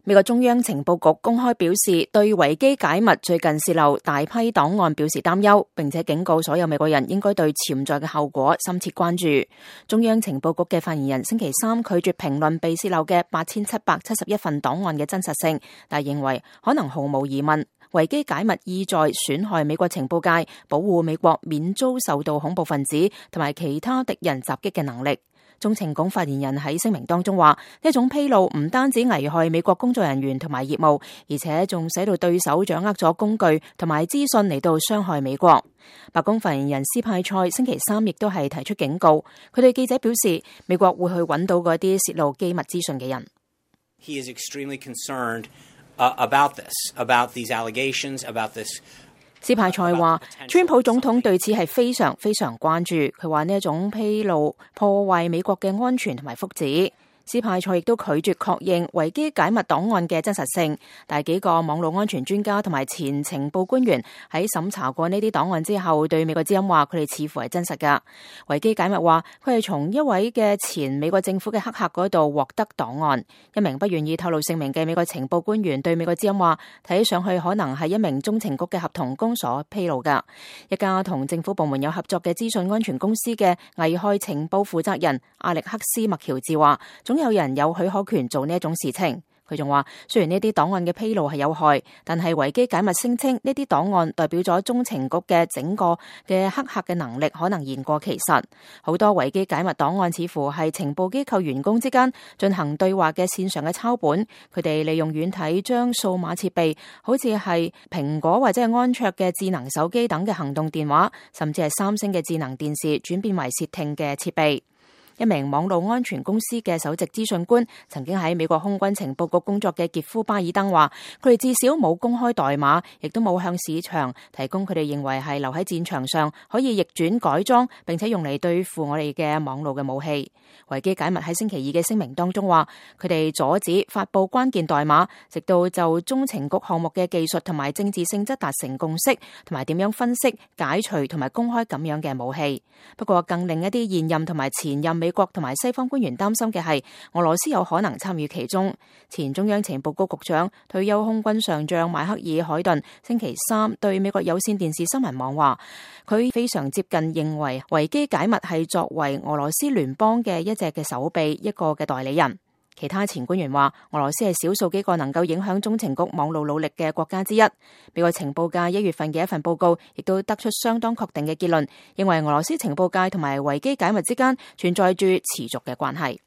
美國中央情報局公開表示，對維基解密最近洩漏大批檔案表示擔憂，並且警告所有美國人應該對潛在嘅後果深切關注。中央情報局嘅發言人星期三拒絕評論被洩漏嘅8771份檔案嘅真實性，但認為可能毫無疑問，維基解密意在損害美國情報界保護美國免遭受到恐怖分子同埋其他敵人襲擊嘅能力。中情局發言人喺聲明當中話，呢一種披露唔單止危害美國工作人員同埋業務，而且仲使到對手掌握咗工具同埋資訊嚟到傷害美國。白宮發言人斯派塞星期三亦都係提出警告，佢對記者表示，美國會去揾到嗰啲洩露機密資訊嘅人。He is extremely concerned about these allegations, about this. 斯派塞話，川普總統對此係非常非常關注。佢話呢一種披露破壞美國嘅安全同埋福祉。斯派塞亦都拒絕確認維基解密檔案嘅真實性，但係幾個網絡安全專家同埋前情報官員喺審查過呢啲檔案之後，對美國之音話佢哋似乎係真實㗎。維基解密話佢係從一位嘅前美國政府嘅黑客嗰度獲得檔案。一名不願意透露姓名嘅美國情報官員對美國之音話，睇上去可能係一名中情局嘅合同工所披露㗎。一家同政府部門有合作嘅資訊安全公司嘅危害情報負責人阿歷克斯麥喬治話，總有人有許可權做呢一種事情。佢仲話，雖然呢啲檔案嘅披露係有害，但係維基解密聲稱呢啲檔案代表咗中情局嘅整個嘅黑客嘅能力可能言過其實。好多維基解密檔案似乎係情報機構員工之間進行對話嘅線上嘅抄本，佢哋利用軟體將數碼設備，好似係蘋果或者係安卓嘅智能手機等嘅行動電話，甚至係三星嘅智能電視，轉變為竊聽嘅設備。一名網絡安全公司嘅首席資訊官，曾經喺美國空軍情報局工作嘅傑夫巴爾登話，佢哋至少冇公開代碼，亦都冇向市場提供佢哋認為係留喺戰場上可以逆轉改裝並且用嚟對付我哋嘅網絡嘅武器。維基解密喺星期二嘅聲明當中話，佢哋阻止發佈關鍵代碼，直到就中情局項目嘅技術同埋政治性質達成共識，同埋點樣分析、解除同埋公開咁樣嘅武器。不過更令一啲現任同埋前任美國同埋西方官員擔心嘅係，俄羅斯有可能參與其中。前中央情報局局長、退休空軍上將邁克爾海頓星期三對美國有線電視新聞網話，佢非常接近認為維基解密係作為俄羅斯聯邦嘅一隻嘅手臂，一個嘅代理人。其他前官員話，俄羅斯係少數幾個能夠影響中情局網絡努力嘅國家之一。美國情報界1月份嘅一份報告亦都得出相當確定嘅結論，認為俄羅斯情報界同埋維基解密之間存在住持續嘅關係。